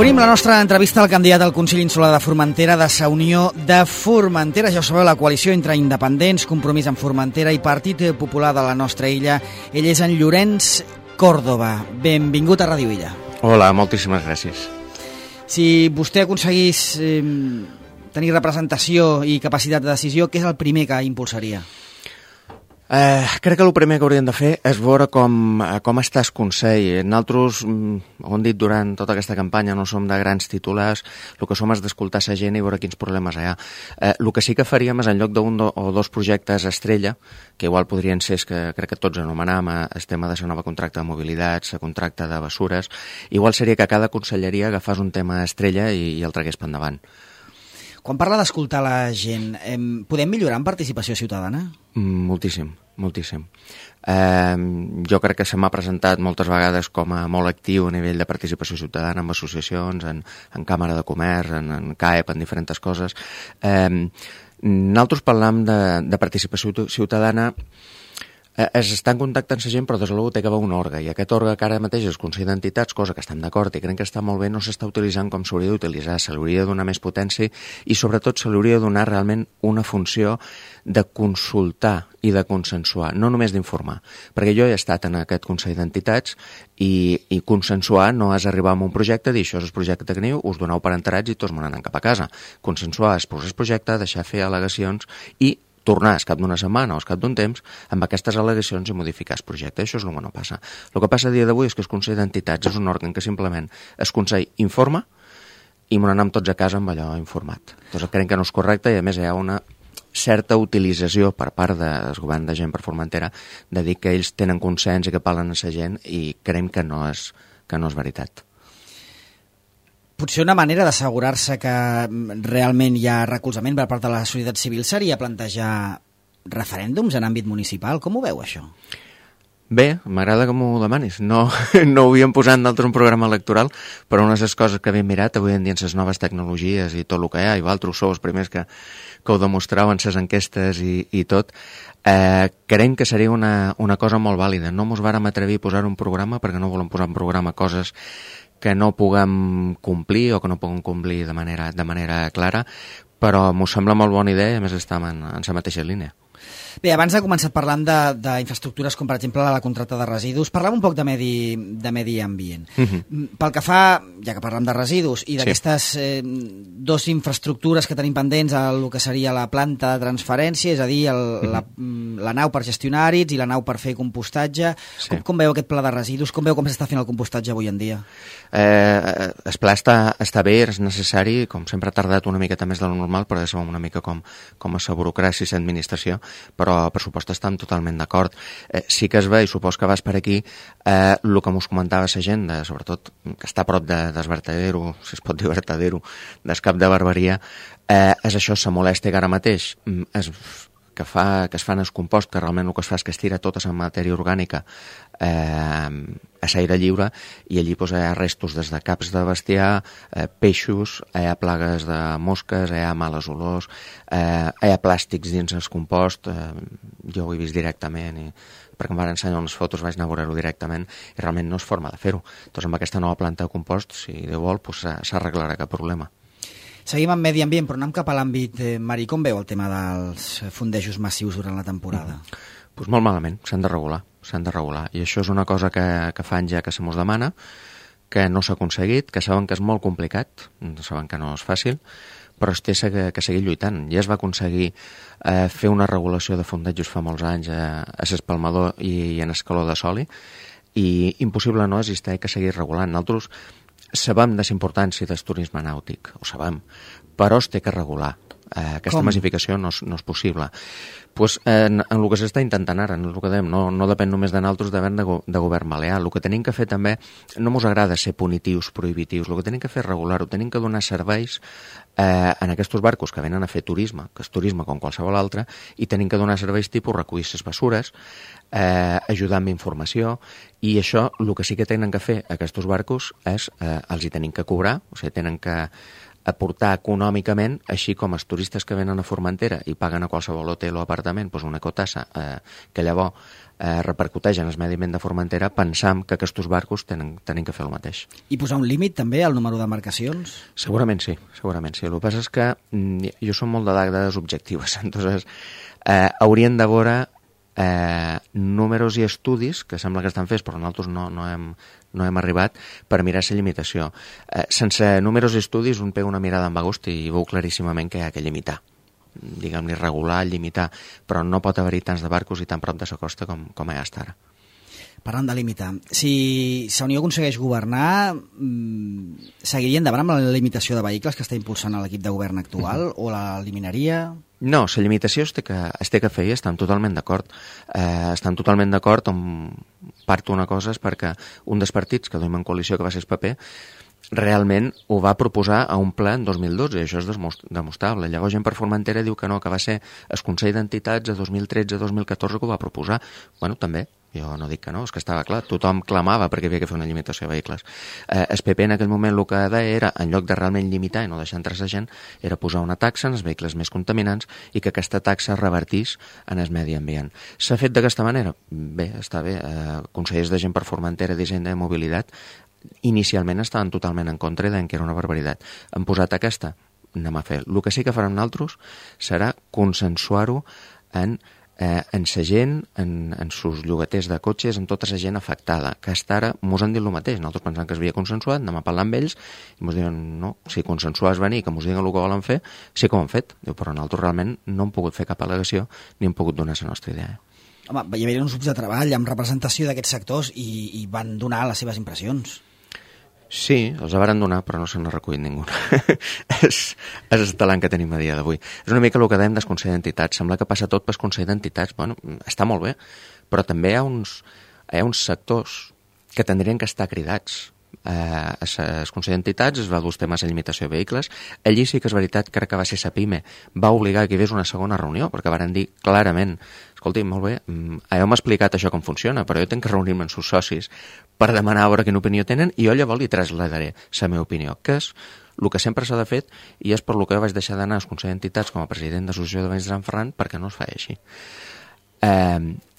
Obrim la nostra entrevista al candidat al Consell Insular de Formentera de Sa Unió de Formentera. Ja ho sabeu, la coalició entre independents, Compromís amb Formentera i Partit Popular de la nostra illa. Ell és en Llorenç Còrdova. Benvingut a Ràdio Illa. Hola, moltíssimes gràcies. Si vostè aconseguís tenir representació i capacitat de decisió, què és el primer que impulsaria? Crec que el primer que hauríem de fer és veure com està el Consell. Nosaltres, ho hem dit durant tota aquesta campanya, no som de grans titulars, el que som és d'escoltar la gent i veure quins problemes hi ha. El que sí que faríem és, en lloc d'un o dos projectes estrella, que igual podrien ser, que crec que tots anomenam, el tema de la nova contracte de mobilitat, la contracte de bessures, igual seria que cada conselleria agafés un tema estrella i el tragués per endavant. Quan parla d'escoltar la gent, podem millorar en participació ciutadana? Moltíssim, moltíssim. Jo crec que se m'ha presentat moltes vegades com a molt actiu a nivell de participació ciutadana en associacions, en Càmera de Comerç, en CAEP, en diferents coses. Nosaltres parlam de participació ciutadana, es està en contacte amb la gent, però des de l'últim té que haver un òrgan, i aquest òrgan que ara mateix és el Consell d'Entitats, cosa que estem d'acord i crec que està molt bé, no s'està utilitzant com s'hauria d'utilitzar, se li hauria de donar més potència i sobretot se li hauria de donar realment una funció de consultar i de consensuar, no només d'informar, perquè jo he estat en aquest Consell d'Entitats i consensuar no és arribar a un projecte, dir això és el projecte que teniu, us doneu per enterats i tots me n'anen cap a casa. Consensuar és posar el projecte, deixar fer al·legacions i tornar al cap d'una setmana o al cap d'un temps amb aquestes al·legacions i modificar el projecte. Això és el que no passa. El que passa a dia d'avui és que el Consell d'Entitats és un òrgan que simplement el Consell informa i me n'anem tots a casa amb allò informat. Doncs crec que no és correcte i a més hi ha una certa utilització per part del govern de Gent per Formentera de dir que ells tenen consens i que parlen a la gent i creiem que no és veritat. Potser una manera d'assegurar-se que realment hi ha recolzament per part de la societat civil seria plantejar referèndums en àmbit municipal. Com ho veu, això? Bé, m'agrada que m'ho demanis. No ho havíem posat nosaltres un programa electoral, però una de les coses que havíem mirat avui en dia en les noves tecnologies i tot el que hi ha, i vosaltres sou els primers que ho demostreu en les enquestes i tot, creiem que seria una cosa molt vàlida. No mos vàrem atrevir a posar un programa perquè no volem posar en programa coses que no puguem complir o que no puguem complir de manera clara, però m'ho sembla molt bona idea i a més estem en la mateixa línia. Bé, abans ha començat parlant d'infraestructures com per exemple la contracta de residus. Parlem un poc de medi ambient. Pel que fa, ja que parlem de residus i d'aquestes dues infraestructures que tenim pendents, el que seria la planta de transferència, és a dir, la nau per gestionar àrids i la nau per fer compostatge. Com veu aquest pla de residus? Com veu com s'està fent el compostatge avui en dia? El pla està bé, és necessari, com sempre ha tardat una miqueta més de lo normal, però ja sabem una mica com és la burocràcia i l'administració, però per supost estem totalment d'acord. Sí que es ve, i supos que vas per aquí, el que mos comentava la gent, sobretot que està a prop del vertedero, si es pot dir vertedero, del cap de Barberia, és això, la molèstia que ara mateix que es fan el compost, que realment el que es fa és que es tira tota la matèria orgànica a l'aire lliure i allí hi ha restos des de caps de bestiar, peixos, hi ha plagues de mosques, hi ha males olors, hi ha plàstics dins el compost, jo ho he vist directament perquè em van ensenyar unes fotos, vaig anar a veure-ho directament i realment no és forma de fer-ho. Doncs amb aquesta nova planta de compost, si Déu vol, s'arreglarà cap problema. Seguim amb medi ambient, però anem cap a l'àmbit marí. Com veu el tema dels fondejos massius durant la temporada? Doncs molt malament, s'han de regular. I això és una cosa que fa anys ja que se mos demana, que no s'ha aconseguit, que saben que és molt complicat, saben que no és fàcil, però es té que seguir lluitant. Ja es va aconseguir fer una regulació de fondejos fa molts anys a l'Espalmador i en Escaló de Soli, i impossible no és, i s'ha que seguir regulant. Nosaltres sabem de la importància del turisme nàutic, ho sabem, però es té que regular. Aquesta massificació no és possible. Pues, en el que s'està intentant ara, el que dèiem, no depèn només de nosaltres, depèn de govern balear. El que tenim que fer també, no ens agrada ser punitius, prohibitius, el que tenim que fer és regular-ho, tenim que donar serveis en aquests barcos que venen a fer turisme, que és turisme com qualsevol altre, i tenim que donar serveis tipus recollir les bessures, ajudar amb informació, i això, el que sí que tenen que fer aquests barcos és, els hi tenim que cobrar, o sigui, tenen que aportar econòmicament, així com els turistes que venen a Formentera i paguen a qualsevol hotel o apartament una ecotassa que llavors repercuteix en el medi ambient de Formentera, pensam que aquests barcos tenen que fer el mateix. I posar un límit també al número d'embarcacions? Segurament sí. El que passa és que jo som molt de dades objectives, entonces haurien de veure números i estudis que sembla que estan fets però nosaltres no hem arribat per mirar la limitació. Sense números i estudis un pega una mirada amb agost i veu claríssimament que hi ha que limitar, diguem-ne regular, limitar, però no pot haver-hi tants de barcos i tan prop de la costa com hi ha hasta ara. Parlant de limitar, si la Unió aconsegueix governar, seguiria endavant amb la limitació de vehicles que està impulsant l'equip de govern actual o l'eliminaria? No, la limitació es té que fer i estem totalment d'acord. Estem totalment d'acord on part una cosa és perquè un dels partits que duim en coalició, que va ser el PP, realment ho va proposar a un ple en 2012 i això és demostrable. Llavors gent per Formentera diu que no, que va ser el Consell d'Entitats de 2013-2014 que ho va proposar. Bueno, també, jo no dic que no, és que estava clar, tothom clamava perquè havia que fer una limitació de vehicles. El PP en aquell moment el que deia era, en lloc de realment limitar i no deixar entrar la gent, era posar una taxa en els vehicles més contaminants i que aquesta taxa revertís en el medi ambient. S'ha fet d'aquesta manera? Bé, està bé. Consellers de gent per Formentera, d'Hisenda i Mobilitat, inicialment estaven totalment en contra i deien que era una barbaritat. Han posat aquesta? Anem a fer. El que sí que farem nosaltres serà consensuar-ho en la gent, en sus llogaters de cotxes, en tota la gent afectada, que hasta ara mos han dit el mateix. Nosaltres pensant que es havia consensuat, anem a parlar amb ells i mos diuen, no, si consensuar és venir, que mos diguen el que volen fer, sí que ho han fet. Diu, però nosaltres realment no hem pogut fer cap al·legació ni hem pogut donar la nostra idea. Home, hi havia uns grups de treball amb representació d'aquests sectors i van donar les seves impressions. Sí, els varen donar, però no se n'ha recollit ningú. és el talent que tenim a dia d'avui. És una mica el que dèiem del Consell d'Entitats. Sembla que passa tot pel Consell d'Entitats. Bueno, està molt bé, però també hi ha uns sectors que tindrien que estar cridats. El Consell d'Entitats es va dur temes de limitació de vehicles. Allí sí que és veritat, crec que va ser la PIME, va obligar que hi hagués una segona reunió, perquè varen dir clarament, escolti, molt bé, heu explicat això com funciona, però jo tinc que reunir-me amb els seus socis per demanar a veure quina opinió tenen i jo llavors li trasladaré la meva opinió, que és el que sempre s'ha de fer i és per lo que jo vaig deixar d'anar al Consell d'Entitats com a president de l'Associació de Veïns de Sant Ferran perquè no es fa així.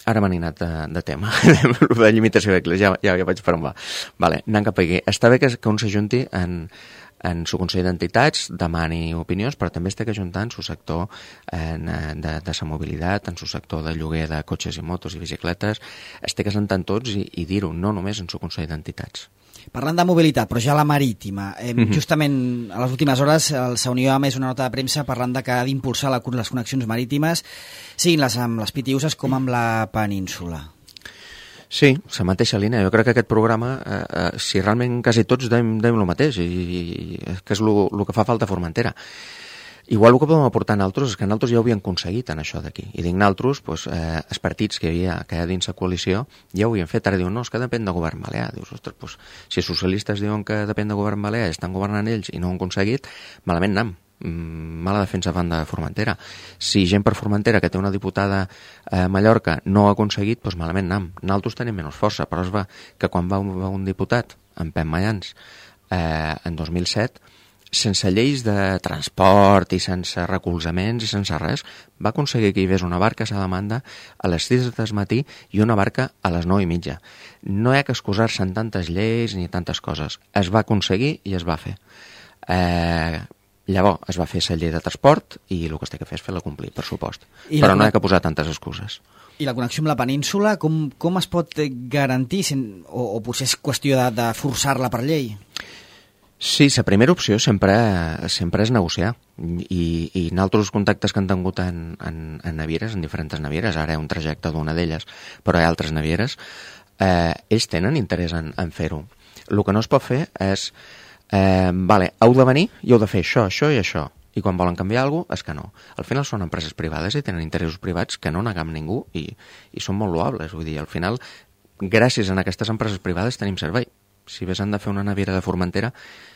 Ara m'han anat de tema, de limitació de vehicles, ja vaig per on va. Vale, anant cap aquí. Està bé que un s'ajunti en el Consell d'Entitats, demani opinions, però també es té que ajuntar en el sector de la mobilitat, en el sector de lloguer de cotxes i motos i bicicletes, es té que sentar tots i dir-ho, no només en el Consell d'Entitats. Parlant de mobilitat, però ja la marítima, justament a les últimes hores la Unió ha emès una nota de premsa parlant de que ha d'impulsar les connexions marítimes, siguin les amb les PTUs com amb la península. Sí, la mateixa línia. Jo crec que aquest programa, si realment quasi tots deim el mateix, i que és el que fa falta a Formentera. Igual el que podem aportar nosaltres és que nosaltres ja ho havíem aconseguit en això d'aquí. I dic nosaltres, els partits que hi ha dins la coalició ja ho havien fet. Ara diuen, no, és que depèn de govern balear. Dius, ostres, si els socialistes diuen que depèn de govern balear i estan governant ells i no ho han aconseguit, malament anem. Mala defensa van de Formentera. Si gent per Formentera que té una diputada a Mallorca no ho ha aconseguit, doncs malament anem. Nosaltres tenim menys força, però es va que quan va un diputat, en Pep Mayans, en 2007, sense lleis de transport i sense recolzaments i sense res, va aconseguir que hi hagués una barca a la demanda a les 6 del matí i una barca a les 9:30. No hi ha que excusar-se en tantes lleis ni tantes coses. Es va aconseguir i es va fer. Llavors es va fer la llei de transport i el que es té que fer és fer-la complir, per supost. Però no hi ha que posar tantes excuses. I la connexió amb la península, com es pot garantir? O potser és qüestió de forçar-la per llei? Sí, la primera opció sempre és negociar i en altres contactes que han tingut en navieres, en diferents navieres, ara hi ha un trajecte d'una d'elles, però hi ha altres navieres, ells tenen interès en fer-ho. El que no es pot fer és heu de venir i heu de fer això, això i això, i quan volen canviar alguna cosa és que no. Al final són empreses privades i tenen interessos privats que no negam ningú i són molt loables, vull dir, al final gràcies a aquestes empreses privades tenim servei. Si ves han de fer una naviera de Formentera,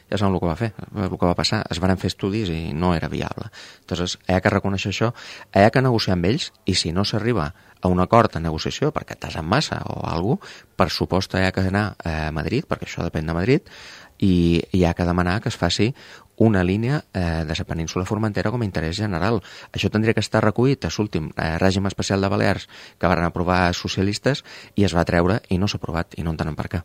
ja saben el que va fer, el que va passar. Es van fer estudis i no era viable. Entonces, hi ha que reconèixer això, hi ha que negociar amb ells, i si no s'arriba a un acord en negociació perquè t'has en massa o alguna cosa, per supost hi ha que anar a Madrid, perquè això depèn de Madrid, i hi ha que demanar que es faci una línia de la península Formentera com a interès general. Això tindria que estar recollit a l'últim règim especial de Balears que van aprovar socialistes i es va treure i no s'ha aprovat i no entenem per què.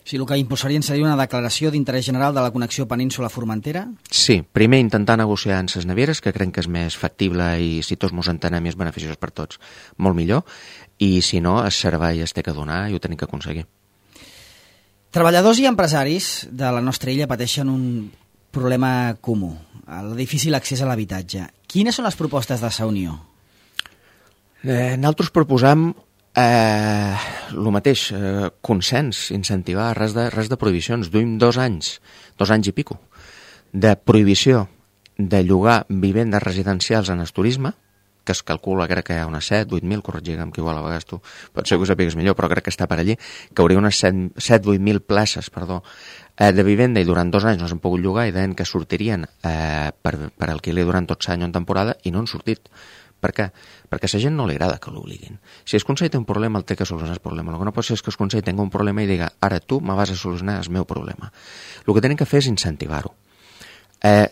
Sí, el que impulsarien seria una declaració d'interès general de la connexió península-Formentera? Sí, primer intentar negociar amb les navieres, que crec que és més factible i si tots mos entenem i és beneficiós per tots, molt millor, i si no, el servei es té que donar i ho tenim que aconseguir. Treballadors i empresaris de la nostra illa pateixen un problema comú, el difícil accés a l'habitatge. Quines són les propostes de la Unió? Nosaltres proposam el mateix, consens, incentivar, res de prohibicions. Duim 2 anys i pico, de prohibició de llogar vivendes residencials en el turisme, que es calcula, crec que hi ha unes 7-8.000, corregigue'm que igual a vegades tu pot ser que ho sapigues millor, però crec que està per allí, que hauria unes 7-8.000 places, de vivenda i durant 2 anys no s'han pogut llogar i deien que sortirien per alquiler durant tot l'any o en temporada i no han sortit. Per què? Perquè a la gent no li agrada que l'obliguin. Si el Consell té un problema, el té que solucionar el problema. El que no pot ser és que el Consell tingui un problema i diga ara tu me vas a solucionar el meu problema. El que tenen que fer és incentivar-ho.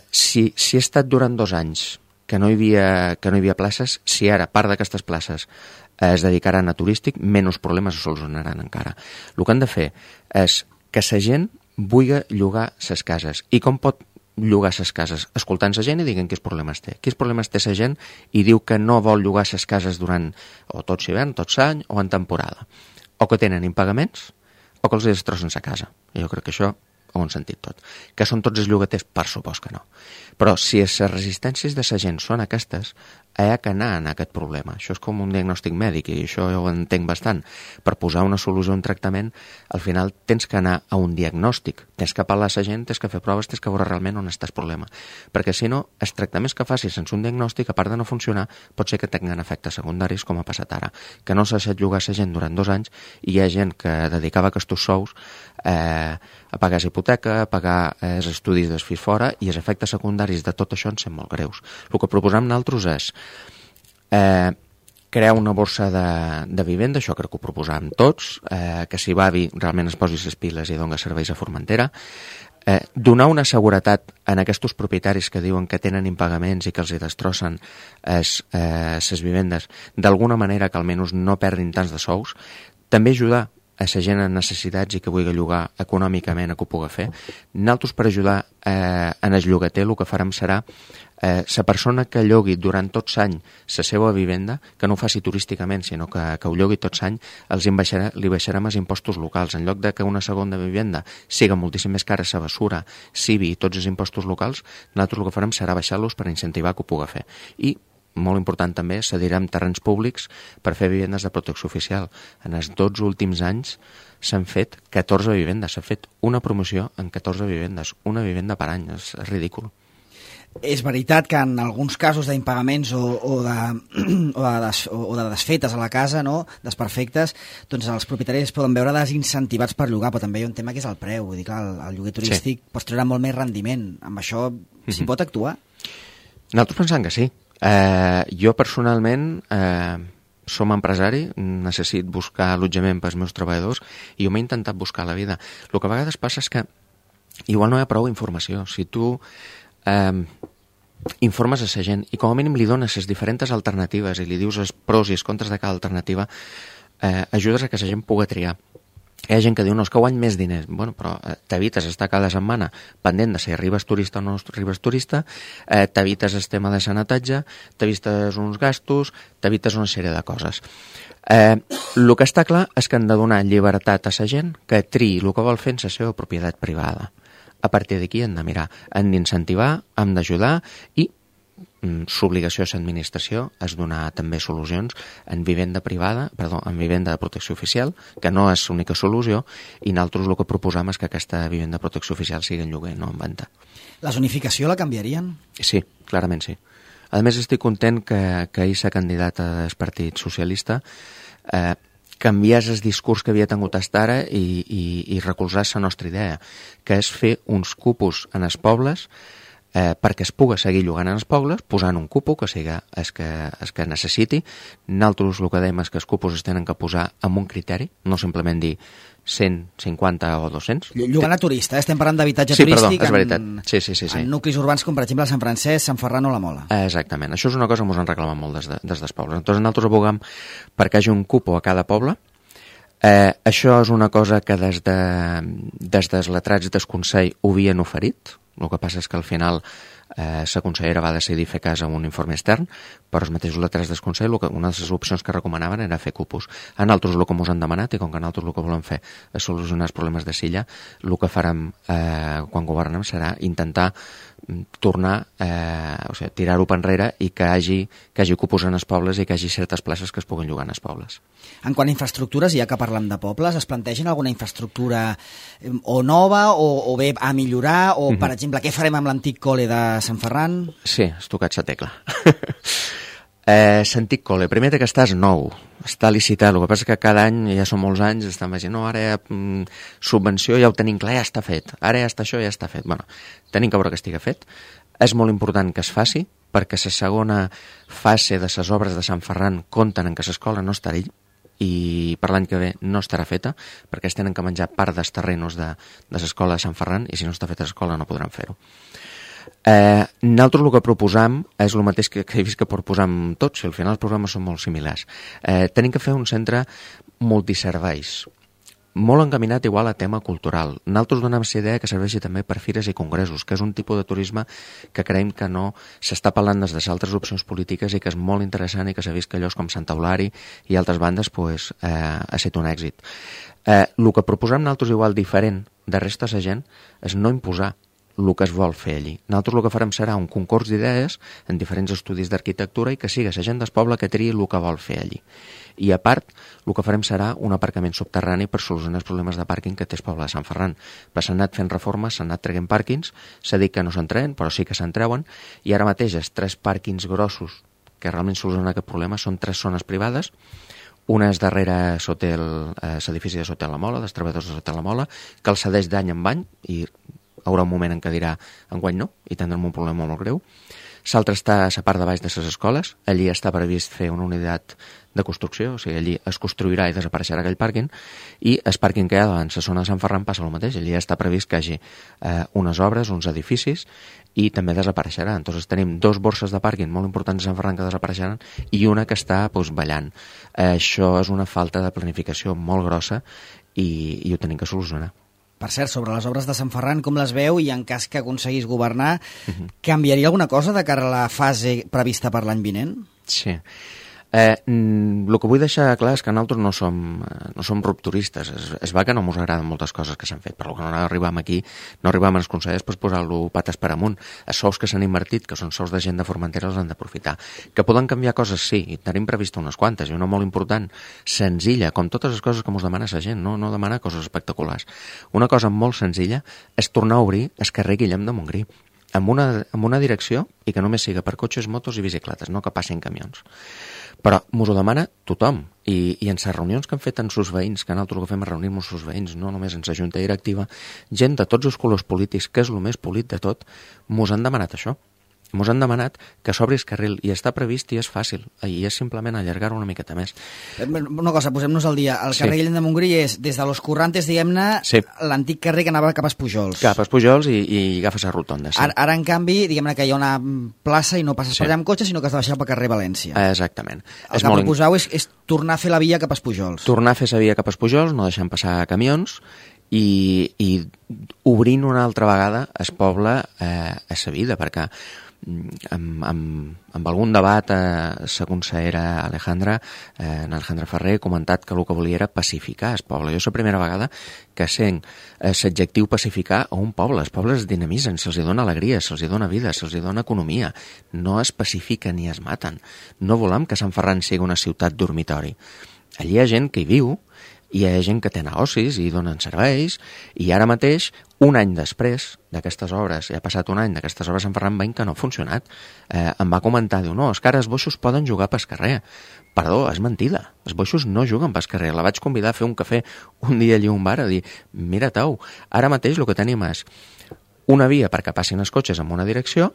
Si ha estat durant 2 anys que no hi havia places, si ara part d'aquestes places es dedicaran a turístic, menys problemes es solucionaran encara. El que han de fer és que la gent vulgui llogar les cases. I com pot llogar les cases? Escoltant la gent i diguin quins problemes té. Quins problemes té la gent i diu que no vol llogar les cases durant o tot l'hivern, tot l'any o en temporada. O que tenen impagaments o que els destrossen la casa. Jo crec que això ho hem sentit tot. Que són tots els llogaters? Per supost que no. Però si les resistències de la gent són aquestes, hi ha que anar en aquest problema. Això és com un diagnòstic mèdic i això ho entenc bastant. Per posar una solució, un tractament, al final tens que anar a un diagnòstic. Tens que parlar a la gent, tens que fer proves, tens que veure realment on està el problema. Perquè si no, els tractaments que facis sense un diagnòstic, a part de no funcionar, pot ser que tinguin efectes secundaris, com ha passat ara. Que no s'ha deixat llogar a la gent durant 2 anys i hi ha gent que dedicava aquests sous a pagar hipoteca, a pagar els estudis dels fills fora i els efectes secundaris de tot això en són molt greus. El que proposam nosaltres és crear una borsa de vivenda, això crec que ho proposàvem tots, que si Bavi realment es posi les piles i doni serveis a Formentera, donar una seguretat en aquests propietaris que diuen que tenen impagaments i que els hi destrossen les vivendes, d'alguna manera que almenys no perdin tants de sous, també ajudar a la gent en necessitats i que vulgui llogar econòmicament que ho pugui fer. Nosaltres, per ajudar en el llogater, el que farem serà la persona que llogui durant tot l'any la seva vivenda, que no ho faci turísticament, sinó que ho llogui tot l'any, li baixarem els impostos locals. En lloc de que una segona vivenda siga moltíssim més cara, la basura, CIVI i tots els impostos locals, nosaltres el que farem serà baixar-los per incentivar que ho pugui fer. I molt important també, cedirem terrenys públics per fer vivendes de protecció oficial. En els 12 últims anys s'han fet 14 vivendes, s'ha fet una promoció en 14 vivendes, una vivenda per any, és ridícul. És veritat que en alguns casos d'impagaments o de desfetes a la casa, no, desperfectes, doncs els propietaris es poden veure desincentivats per llogar, però també hi ha un tema que és el preu. Vull dir, clar, el lloguer turístic pots treure molt més rendiment. Amb això s'hi pot actuar? Nosaltres pensem que sí. Jo personalment som empresari, necessito buscar allotjament pels meus treballadors i jo m'he intentat buscar la vida. El que a vegades passa és que igual no hi ha prou informació. Si tu informes a la gent i com a mínim li dones les diferents alternatives i li dius els pros i els contres de cada alternativa, ajudes a que la gent pugui triar. Hi ha gent que diu, no, és que guany més diners. Bueno, però t'evites estar cada setmana pendent de si arribes turista o no arribes turista, t'evites el tema de sanitatge, t'evites uns gastos, t'evites una sèrie de coses. El que està clar és que han de donar llibertat a la gent que triï el que vol fer en la seva propietat privada. A partir d'aquí hem de mirar, hem d'incentivar, hem d'ajudar i l'obligació de l'administració és donar també solucions en vivenda privada, en vivenda de protecció oficial, que no és l'única solució, i nosaltres el que proposam és que aquesta vivenda de protecció oficial sigui en lloguer, no en venda. La zonificació la canviarien? Sí, clarament sí. A més, estic content que ahir la candidata del Partit Socialista canviés el discurs que havia tingut fins ara i recolzés la nostra idea, que és fer uns cupos en els pobles perquè es pugui seguir llogant en els pobles, posant un cupo que sigui el que necessiti. Nosaltres el que dèiem és que els cupos es tenen que posar amb un criteri, no simplement dir 150 o 200. Llogant a turista, estem parlant d'habitatge Sí, turístic perdó, és veritat. Sí. En nuclis urbans com per exemple Sant Francesc, Sant Ferran o la Mola. Exactament, això és una cosa que ens han reclamat molt des dels pobles. Entonces nosaltres abogam perquè hi hagi un cupo a cada poble. Això és una cosa que des dels letrats del Consell ho havien oferit. El que passa és que al final la consellera va decidir fer cas a un informe extern, però els mateixos letrats del Consell una de les opcions que recomanaven era fer cupos. A nosaltres el que ens han demanat, i com que nosaltres el que volem fer és solucionar els problemes de Silla, el que farem quan governem serà intentar tornar, tirar-ho per enrere i que hagi cupos en els pobles i que hi hagi certes places que es puguin llogar en els pobles. En quant a infraestructures, ja que parlem de pobles, es plantegen alguna infraestructura o nova o bé a millorar, o per exemple, què farem amb l'antic col·le de Sant Ferran? Sí, has tocat la tecla. L'antic col·le, primer que estàs nou, està licitat, el que passa que cada any, ja són molts anys, estan veient, no, ara subvenció ja ho tenim clar, ja està fet, ara ja està això, ja està fet. Bueno, tenim que veure que estigui fet. És molt important que es faci, perquè la segona fase de les obres de Sant Ferran compten en que l'escola no estarà i per l'any que ve no estarà feta, perquè es tenen que menjar part dels terrenos de l'escola de Sant Ferran, i si no està feta l'escola no podran fer-ho. Nosaltres el que proposam és el mateix que he vist que proposam tots, i al final els programes són molt similars. Tenim que fer un centre multiserveis, molt encaminat igual a tema cultural. Nosaltres donem la idea que serveixi també per fires i congressos, que és un tipus de turisme que creiem que no s'està parlant des de altres opcions polítiques i que és molt interessant i que s'ha vist que llocs com Santa Eulària i altres bandes ha estat un èxit. El que proposem nosaltres igual diferent de resta de la gent és no imposar el que es vol fer allí. Nosaltres el que farem serà un concurs d'idees en diferents estudis d'arquitectura i que sigui la gent del poble que triï el que vol fer allí. I a part, el que farem serà un aparcament subterrani per solucionar els problemes de pàrquing que té el poble de Sant Ferran. S'han anat fent reformes, s'han anat traient pàrquings, s'ha dit que no se'n treuen, però sí que se'n treuen, i ara mateix els 3 pàrquings grossos que realment solucionen aquest problema són 3 zones privades. Una és darrere l'edifici de Sotel la Mola, dels treballadors de Sotel la Mola, que el cedeix d'any en any i hi haurà un moment en què dirà enguany no, i tindrem un problema molt greu. L'altre està a la part de baix de les escoles, allí està previst fer una unitat de construcció, o sigui, allí es construirà i desapareixerà aquell pàrquing, i el pàrquing que hi ha davant la zona de Sant Ferran passa el mateix, allí està previst que hi hagi unes obres, uns edificis, i també desapareixerà. Entonces tenim 2 borses de pàrquing molt importants a Sant Ferran que desapareixeran i una que està ballant. Això és una falta de planificació molt grossa i ho tenim que solucionar. Per cert, sobre les obres de Sant Ferran, com les veu i en cas que aconseguís governar, canviaria alguna cosa de cara a la fase prevista per l'any vinent? Sí. El que vull deixar clar és que nosaltres no som rupturistes. Es va que no ens agraden moltes coses que s'han fet, però que no arribam aquí, no arribam als consellers per posar-lo pates per amunt. Els sous que s'han invertit, que són sous de gent de Formentera, els han d'aprofitar. Que poden canviar coses, sí, i tenim previst unes quantes, i una molt important, senzilla, com totes les coses que ens demana la gent, no demana coses espectaculars. Una cosa molt senzilla és tornar a obrir el carrer Guillem de Montgrí, amb una direcció i que només siga per cotxes, motos i bicicletes, no que passin camions. Però mos ho demana tothom, i en les reunions que han fet amb els veïns, que nosaltres el que fem és reunir-nos amb els veïns, no només en la junta directiva, gent de tots els colors polítics, que és el més polit de tot, mos han demanat això. Mos han demanat que s'obri el carril, i està previst i és fàcil, i és simplement allargar-ho una miqueta més. Una cosa, posem-nos al dia. El carrer Guillem de Montgrí és, des de los Currantes, diguem-ne, l'antic carrer que anava cap a Espujols. Cap a Espujols i agafes la rotonda. Sí. Ara, en canvi, diguem-ne que hi ha una plaça i no passes per allà amb cotxe, sinó que has de baixar pel carrer València. Exactament. El que proposeu és tornar a fer la via cap a Espujols. Tornar a fer la via cap a Espujols, no deixant passar camions, i obrint una altra vegada el poble a sa vida, perquè amb algun debat la consellera Alejandra Ferrer ha comentat que el que volia era pacificar el poble. Jo és la primera vegada que sent l'adjectiu pacificar a un poble. Els pobles es dinamitzen, se'ls dona alegria, se'ls dona vida, se'ls dona economia. No es pacifiquen ni es maten. No volem que Sant Ferran sigui una ciutat dormitori. Allí hi ha gent que hi viu, i hi ha gent que té negocis i donen serveis, i ara mateix, un any després d'aquestes obres, ja ha passat un any d'aquestes obres, Sant Ferran veiem que no ha funcionat. Em va comentar, diu, no, és que ara els boixos poden jugar pel carrer. Perdó, és mentida, els boixos no juguen pel carrer. La vaig convidar a fer un cafè un dia allí a un bar a dir, mira, Tau, ara mateix el que tenim és una via perquè passin els cotxes en una direcció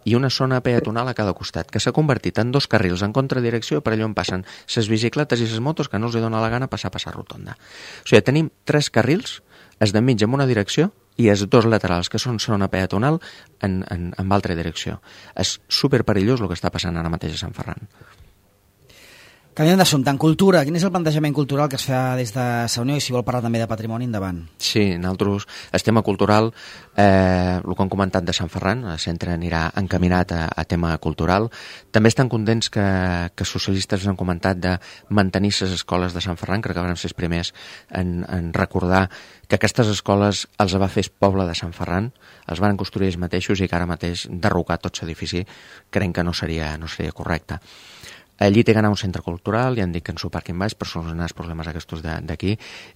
i una zona peatonal a cada costat, que s'ha convertit en 2 carrils en contradirecció per allò on passen les bicicletes i les motos que no els dona la gana passar rotonda. O sigui, tenim 3 carrils, els de mig en una direcció i els 2 laterals, que són zona peatonal, en altra direcció. És superperillós el que està passant ara mateix a Sant Ferran. Canviant d'assumpte, en cultura, quin és el plantejament cultural que es fa des de la Unió i si vol parlar també de patrimoni, endavant? Sí, nosaltres, el tema cultural, el que han comentat de Sant Ferran, el centre anirà encaminat a tema cultural. També estan contents que socialistes han comentat de mantenir les escoles de Sant Ferran, crec que van ser els primers en recordar que aquestes escoles els va fer el poble de Sant Ferran, els van construir ells mateixos i que ara mateix derrocar tot l'edifici creiem que no seria correcte. Allí té d'anar un centre cultural, ja han dit que en su parc baix per solucionar els problemes aquests d'aquí,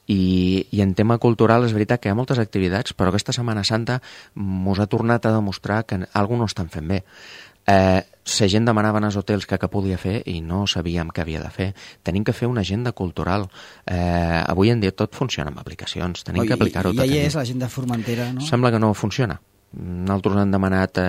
i en tema cultural és veritat que hi ha moltes activitats, però aquesta Setmana Santa mos ha tornat a demostrar que alguna no estan fent bé. La gent demanava als hotels que podia fer i no sabíem què havia de fer. Tenim que fer una agenda cultural. Avui en dia tot funciona amb aplicacions, tenim que aplicar-ho tot. I és l'agenda Formentera, no? Sembla que no funciona. Nosaltres hem demanat...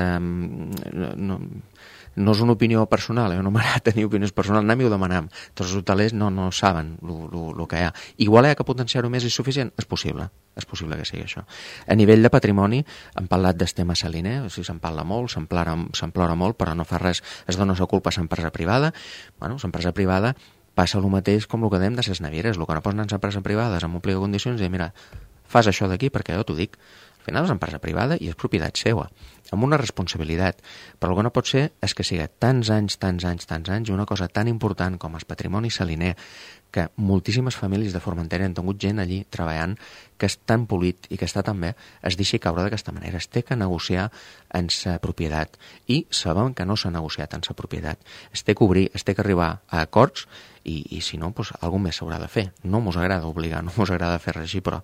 No és una opinió personal, no m'agrada tenir opinions personals, anem i ho demanem. Tots els hotelers no saben el que hi ha. Igual hi ha que potenciar-ho més i suficient? És possible que sigui això. A nivell de patrimoni, hem parlat del tema saliner, o sigui, se'n parla molt, se'n plora molt, però no fa res, es dona la culpa a l'empresa privada. Bueno, l'empresa privada passa el mateix com el que dèiem de les navieres, el que no posen en l'empresa privada és amb un plic de condicions i mira, fas això d'aquí perquè jo t'ho dic. Al final és empresa privada i és propietat seva, amb una responsabilitat. Però el que no pot ser és que sigui tants anys, i una cosa tan important com el patrimoni saliner, que moltíssimes famílies de Formentera han tingut gent allí treballant, que és tan polit i que està tan bé, es deixi caure d'aquesta manera. Es té que negociar en sa propietat. I sabem que no s'ha negociat en sa propietat. Es té que obrir, es té que arribar a acords i si no, doncs, alguna més s'haurà de fer. No mos agrada obligar, no mos agrada fer res així, però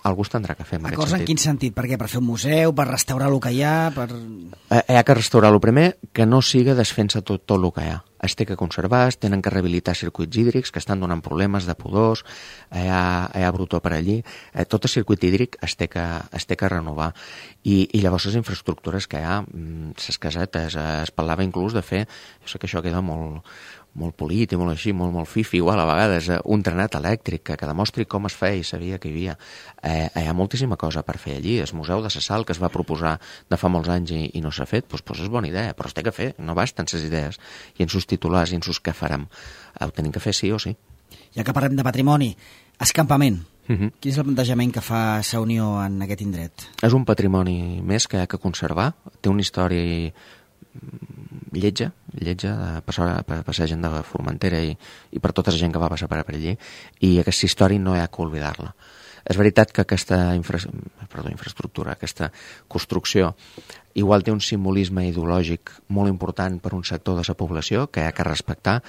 algú es tindrà que fer. Acords en quin sentit? Per què? Per fer un museu? Per restaurar el que hi ha? Hi ha que restaurar el primer, que no siga desfent-se tot el que hi ha. Es té que conservar, es tenen que rehabilitar circuits hídrics que estan donant problemes de pudors, hi ha brutó per allí. Tot el circuit hídric es té que renovar. I llavors les infraestructures que hi ha, les casetes, es parlava inclús de fer, jo sé que això queda molt polit i molt així, molt fifi, igual a vegades, un trenat elèctric que demostri com es feia i sabia que hi havia. Hi ha moltíssima cosa per fer allí. El Museu de la Sal, que es va proposar de fa molts anys i no s'ha fet, doncs és bona idea, però es té que fer, no basten les idees. I en sus titulars i en sus què farem. Ho tenim que fer sí o sí. Ja que parlem de patrimoni, escampament. Quin és el plantejament que fa la Unió en aquest indret? És un patrimoni més que hi ha que conservar. Té una història lletja per la gent de Formentera i per tota la gent que va passar per allí, i aquesta història no hi ha que oblidar-la. És veritat que aquesta infraestructura, aquesta construcció, igual té un simbolisme ideològic molt important per un sector de la població que hi ha que respectar,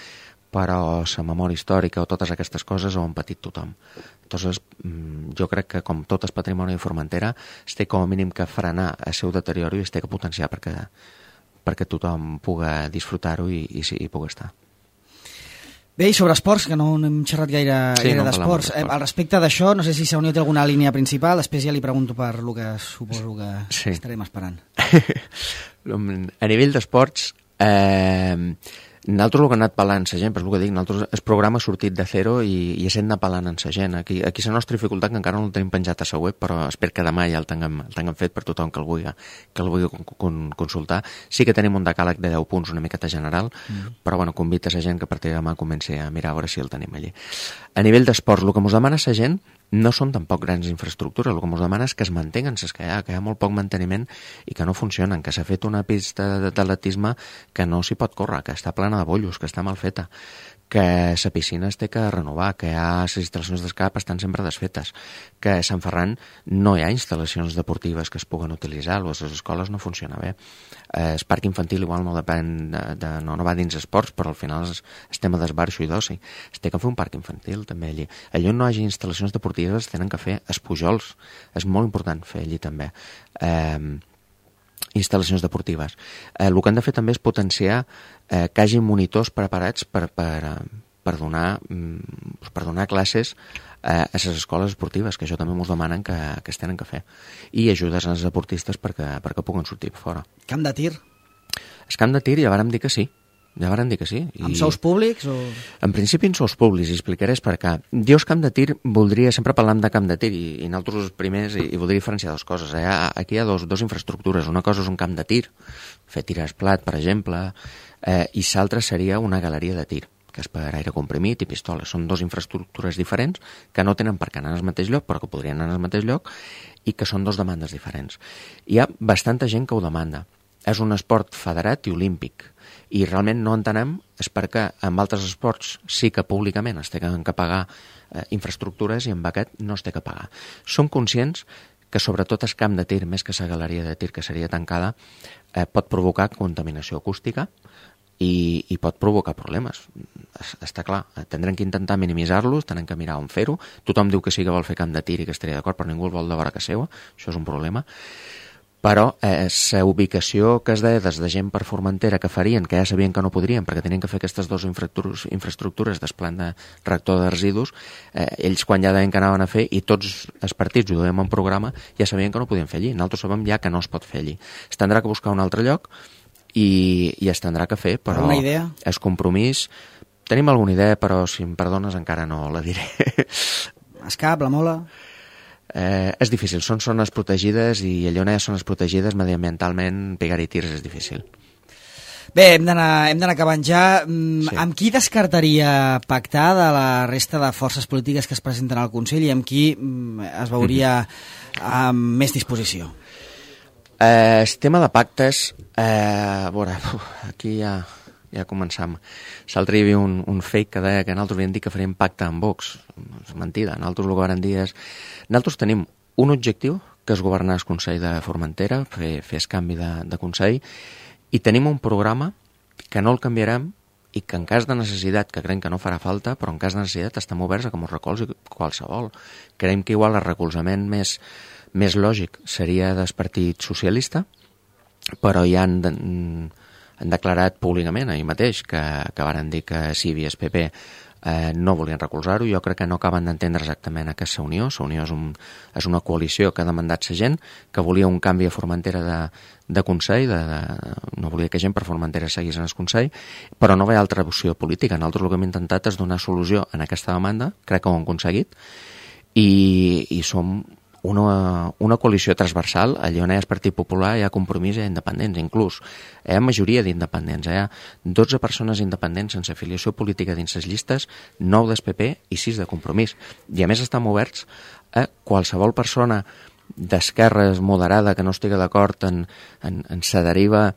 però la memòria històrica o totes aquestes coses ho han patit tothom. Entonces, jo crec que com tot el patrimoni de Formentera es té com a mínim que frenar el seu deteriori i es té que potenciar perquè tothom pugui disfrutar-ho i pugui estar. Bé, i sobre esports, que no hem xerrat gaire d'esports. Al respecte d'això, no sé si la Unió té alguna línia principal, després ja li pregunto per el que suposo que estarem esperant. A nivell d'esports, nosaltres el que hem anat parlant amb la gent, però és el que dic, nosaltres el programa ha sortit de zero i estem anat parlant amb la gent. Aquí la nostra dificultat, que encara no el tenim penjat a la web, però espero que demà ja el tinguem fet per tothom que el vulgui consultar. Sí que tenim un decàleg de 10 punts una miqueta general, però bueno, convita la gent que a partir de demà comenci a mirar a veure si el tenim allí. A nivell d'esports, el que ens demana la gent no són tampoc grans infraestructures, el que ens demana és que es mantenguen les que hi ha molt poc manteniment i que no funcionen, que s'ha fet una pista d'atletisme que no s'hi pot córrer, que està plena de bollos, que està mal feta, que la piscina es té que renovar, que les instal·lacions d'escap estan sempre desfetes, que a Sant Ferran no hi ha instal·lacions deportives que es puguen utilitzar, les escoles no funciona bé. El parc infantil igual no depèn, no va dins esports, però al final és tema d'esbarxo i d'oci. Es té que fer un parc infantil també allí. Allí on no hi hagi instal·lacions deportives es tenen que fer espujols. És molt important fer allí també instal·lacions deportives. El que han de fer també és potenciar que hi hagi monitors preparats per per donar classes a les escoles esportives, que això també ens demanen que es tenen que fer. I ajudes als deportistes perquè puguen sortir fora. Camp de tir? El camp de tir ja vàrem dir que sí. Amb sous públics? O... En principi en sous públics, i explicaré per què. Jo el camp de tir voldria, sempre parlant de camp de tir, i nosaltres els primers, i voldria diferenciar dues coses. Aquí hi ha dos infraestructures. Una cosa és un camp de tir, fer tir esplat, per exemple, i l'altra seria una galeria de tir, que és per aire comprimit i pistoles. Són dues infraestructures diferents que no tenen per què anar al mateix lloc, però que podrien anar al mateix lloc, i que són dues demandes diferents. Hi ha bastanta gent que ho demanda. És un esport federat i olímpic, i realment no entenem és perquè en altres esports sí que públicament es tenen que pagar infraestructures i en aquest no es té que pagar. Som conscients que sobretot el camp de tir, més que la galeria de tir que seria tancada, pot provocar contaminació acústica i pot provocar problemes. Està clar, tindrem que intentar minimitzar-los, tindrem que mirar on fer-ho. Tothom diu que sí que vol fer camp de tir i que estaria d'acord, però ningú el vol de vora que seva, això és un problema. Però la ubicació que es deia des de gent per Formentera que farien, que ja sabien que no podrien perquè tenien que fer aquestes dues infraestructures d'esplant de reactor de residus, ells quan ja deien que anaven a fer, i tots els partits ho duem en programa, ja sabien que no podien fer allí. Nosaltres sabem ja que no es pot fer allí. Es tindrà que buscar un altre lloc i es tindrà que fer, però una idea? És compromís. Tenim alguna idea, però si em perdones encara no la diré. Escap, la Mola... És difícil, són zones protegides i allà on hi ha zones protegides mediambientalment pegar-hi tirs és difícil. Bé, hem d'anar acabant ja. Sí. Amb qui descartaria pactar de la resta de forces polítiques que es presenten al Consell i amb qui es veuria amb més disposició? El tema de pactes, a veure, aquí ja començam. L'altre hi havia un fake que deia que nosaltres havíem dit que faríem pacte amb Vox. És mentida. Nosaltres el que vam dir és... Nosaltres tenim un objectiu, que és governar el Consell de Formentera, fer el canvi de Consell, i tenim un programa que no el canviarem i que en cas de necessitat, que creiem que no farà falta, però en cas de necessitat estem oberts a que ens recolzi qualsevol. Creiem que igual el recolzament més lògic seria del Partit Socialista, però ja han declarat públicament ahir mateix que varen dir que si hi havia el PP no volien recolzar-ho. Jo crec que no acaben d'entendre exactament aquesta unió. La unió és una coalició que ha demandat la gent, que volia un canvi a Formentera de Consell, no volia que gent per Formentera seguís en el Consell, però no ve altra opció política. Nosaltres el que hem intentat és donar solució en aquesta demanda, crec que ho hem aconseguit, i som una coalició transversal. Allà on hi ha el Partit Popular hi ha Compromís i hi ha independents, inclús hi ha majoria d'independents, hi ha 12 persones independents sense afiliació política dins les llistes, 9 del PP i 6 de Compromís, i a més estem oberts a qualsevol persona d'esquerres moderada que no estigui d'acord en la deriva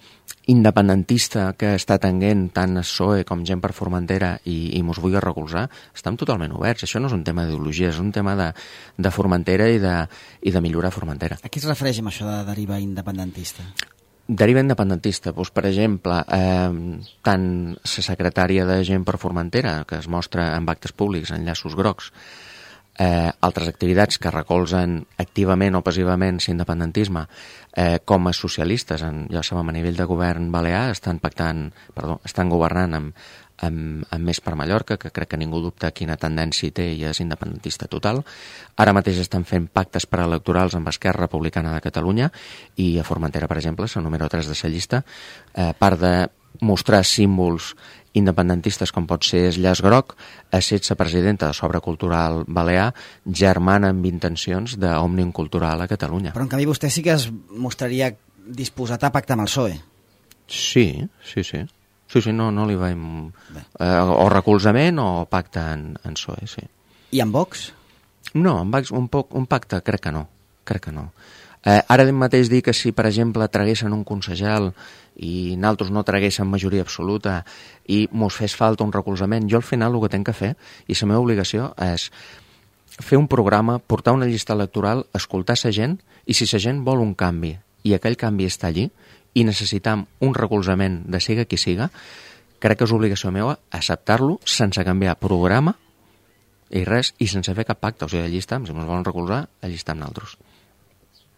independentista que està tenint tant el PSOE com gent per Formentera i mos vulgui recolzar. Estem totalment oberts. Això no és un tema d'ideologia, és un tema de Formentera i de millorar Formentera. A què es refereix amb això de deriva independentista? Deriva independentista, doncs, per exemple, tant la secretària de gent per Formentera, que es mostra en actes públics, en llaços grocs, altres activitats que recolzen activament o passivament l'independentisme, com a socialistes, ja sabem, a nivell de govern balear, estan governant amb Més per Mallorca, que crec que ningú dubta quina tendència té i és independentista total. Ara mateix estan fent pactes preelectorals amb Esquerra Republicana de Catalunya i a Formentera, per exemple, la número 3 de la llista, part de mostrar símbols independentistes com pot ser el llaç groc, ha estat la presidenta de l'Obra Cultural Balear, germana amb intencions d'Òmnium Cultural a Catalunya. Però en canvi vostè sí que es mostraria disposat a pactar amb el PSOE. Sí, no li veiem o recolzament o pacte en PSOE, sí. I amb Vox? No, amb Vox un pacte crec que no. Ara mateix dir que si, per exemple, traguessin un concejal i nosaltres no traguéssim majoria absoluta i mos fes falta un recolzament, jo al final el que tinc que fer, i la meva obligació és fer un programa, portar una llista electoral, escoltar la gent, i si la gent vol un canvi i aquell canvi està allí i necessitam un recolzament de siga qui siga, crec que és obligació meva acceptar-lo sense canviar programa i res, i sense fer cap pacte. O sigui, allí estem, si ens volen recolzar, allí estem nosaltres.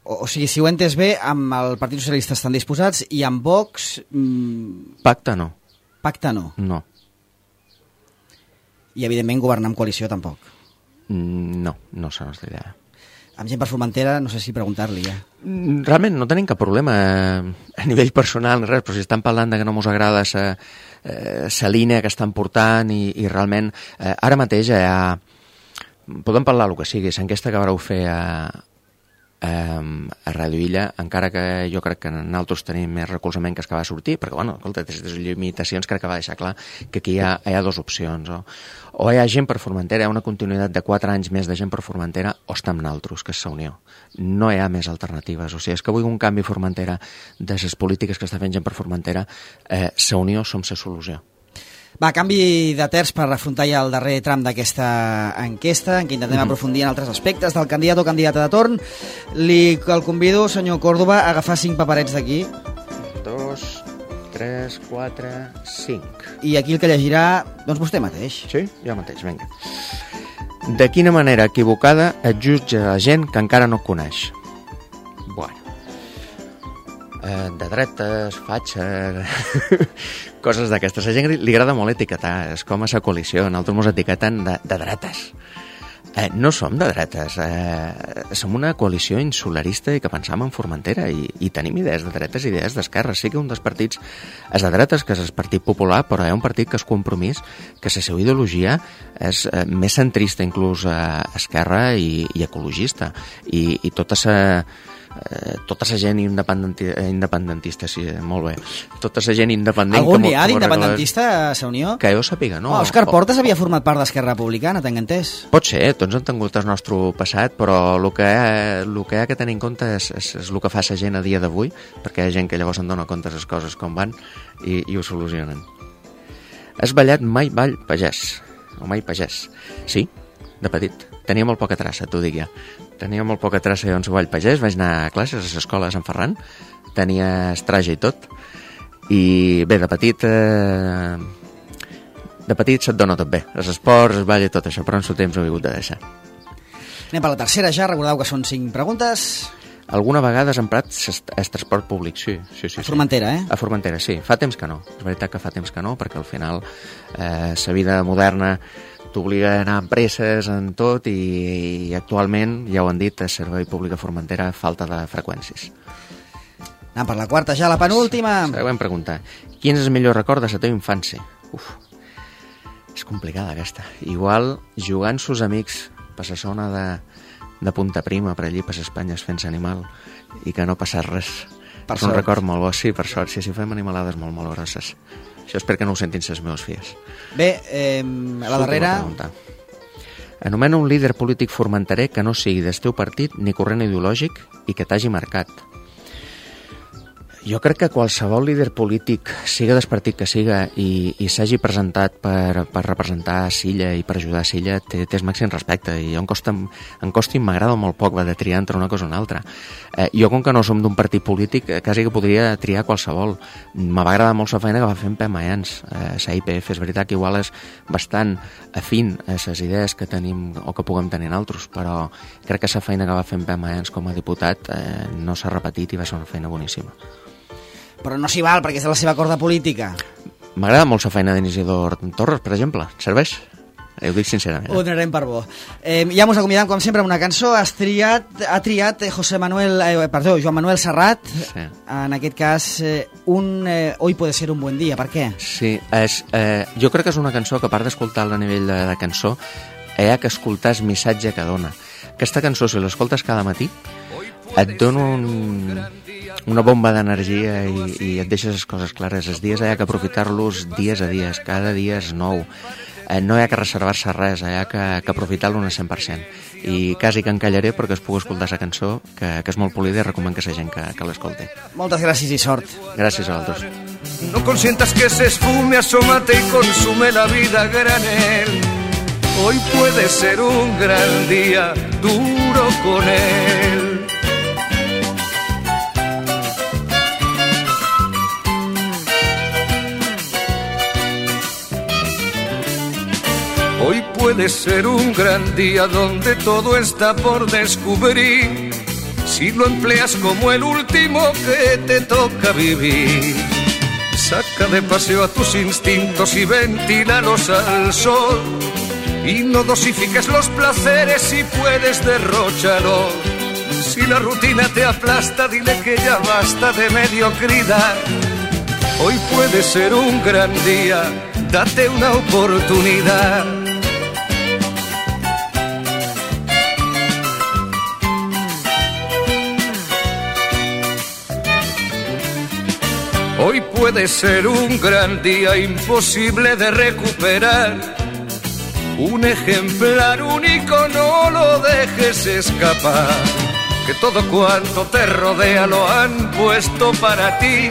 O sigui, si ho he entès bé, amb el Partit Socialista estan disposats i amb Vox... Pacte no. Pacte no? No. I, evidentment, governar en coalició tampoc. No serà la nostra idea. Amb gent per Formentera, no sé si preguntar-li ja. Realment no tenim cap problema a nivell personal ni res, però si estan parlant de que no mos agrada la línia que estan portant i realment ara mateix podem parlar el que sigui, l'enquesta que vareu fer a Ràdio Illa, encara que jo crec que nosaltres tenim més recolzament que va sortir, perquè, bueno, escolta, des de les limitacions crec que va deixar clar que aquí hi ha dues opcions, o hi ha gent per Formentera, hi ha una continuïtat de 4 anys més de gent per Formentera, o està amb nosaltres, que és la Unió. No hi ha més alternatives, o sigui, és que vull un canvi a Formentera de les polítiques que està fent gent per Formentera, la Unió som la solució. Va, canvi de terç per afrontar ja el darrer tram d'aquesta enquesta, en què intentem aprofundir en altres aspectes del candidat o candidata de torn. El convido, senyor Córdoba, a agafar 5 paperets d'aquí. 2, 3, 4, 5. I aquí el que llegirà, doncs vostè mateix. Sí? Jo mateix, vinga. De quina manera equivocada et jutja la gent que encara no et coneix? Bueno. De dretes, fatxa, coses d'aquestes. A la gent li agrada molt etiquetar, és com a la coalició, nosaltres ens etiqueten de dretes. No som de dretes, som una coalició insularista i que pensam en Formentera i tenim idees de dretes i idees d'esquerra. Sí que un dels partits és de dretes, que és el Partit Popular, però hi ha un partit que és Compromís, que la seva ideologia és més centrista, inclús esquerra i ecologista. I tota la gent independentista, sí, molt bé. Tota la gent independent... Algun n'hi ha d'independentista a la Unió? Que jo sàpiga, no. Òscar Portas havia format part d'Esquerra Republicana, tenc entès. Pot ser, tots han tingut el nostre passat, però el que hi ha que tenir en compte és el que fa la gent a dia d'avui, perquè hi ha gent que llavors en dona compte de les coses com van i ho solucionen. Has ballat mai ball pagès? O mai pagès? Sí, de petit. Tenia molt poca traça, t'ho dic ja. Tenia molt poca traça on ball pagès, vaig anar a classes a l'escola de Sant Ferran, tenia estraja i tot, i bé, de petit se't dona tot bé, els esports, el ball i tot això, però en el temps ho he hagut de deixar. Anem per la tercera ja, recordeu que són 5 preguntes. Alguna vegada has emprat el transport públic, sí. A Formentera, A Formentera, sí. Fa temps que no, és veritat que fa temps que no, perquè al final la vida moderna t'obliga a anar amb presses en tot i actualment, ja ho han dit, el servei públic a Formentera falta de freqüències. Anem per la quarta ja, la penúltima. Següent pregunta. Quin és el millor record de la teva infància? És complicada aquesta. Igual jugant amb sus amics per la zona de Punta Prima, per allí, per Espanya, fent animal i que no passés res. És un record molt bo, sí, per sort. Sí, fem animalades molt, molt grosses. Això espero que no ho sentin les meves filles. Bé, a la darrera... Anomena un líder polític formenterer que no sigui del teu partit ni corrent ideològic i que t'hagi marcat. Jo crec que qualsevol líder polític, siga del partit que siga, i s'hagi presentat per representar Silla i per ajudar Silla, té el màxim respecte. I em costa m'agrada molt poc de triar entre una cosa o una altra. Jo, com que no som d'un partit polític, quasi que podria triar qualsevol. Me va agradar molt la feina que va fer en Pep Mayans. La IPF és veritat que igual és bastant afín a les idees que tenim o que puguem tenir nosaltres, però crec que la feina que va fer en Pep Mayans com a diputat no s'ha repetit i va ser una feina boníssima. Però no s'hi val, perquè és de la seva corda política. M'agrada molt la feina d'Isidor Torres, per exemple. Serveix? Ho dic sincerament. Ho donarem per bo. Ja mos acomiadam, com sempre, amb una cançó. Ha triat Joan Manuel Serrat. Sí. En aquest cas, Hoy puede ser un buen día. Per què? Sí, jo crec que és una cançó que, a part d'escoltar-la a nivell de cançó, hi ha que escoltar el missatge que dona. Aquesta cançó, si l'escoltes cada matí, et dona una bomba d'energia i et deixes les coses clares. Els dies hi ha que aprofitar-los dies a dies, cada dia és nou. No hi ha que reservar-se res, hi ha que aprofitar-lo un 100%. I quasi que encallaré perquè es pugui escoltar la cançó, que és molt polida i recomano que la gent que l'escolti. Moltes gràcies i sort. Gràcies a vosaltres. No consientas que se esfume, asómate y consume la vida a granel. Hoy puede ser un gran día, duro con él. Hoy puede ser un gran día donde todo está por descubrir, si lo empleas como el último que te toca vivir. Saca de paseo a tus instintos y ventílalos al sol. Y no dosifiques los placeres, si puedes derróchalos. Si la rutina te aplasta, dile que ya basta de mediocridad. Hoy puede ser un gran día, date una oportunidad. Hoy puede ser un gran día, imposible de recuperar. Un ejemplar único, no lo dejes escapar. Que todo cuanto te rodea lo han puesto para ti.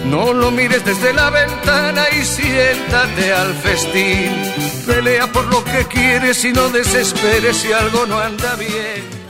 No lo mires desde la ventana y siéntate al festín. Pelea por lo que quieres y no desesperes si algo no anda bien.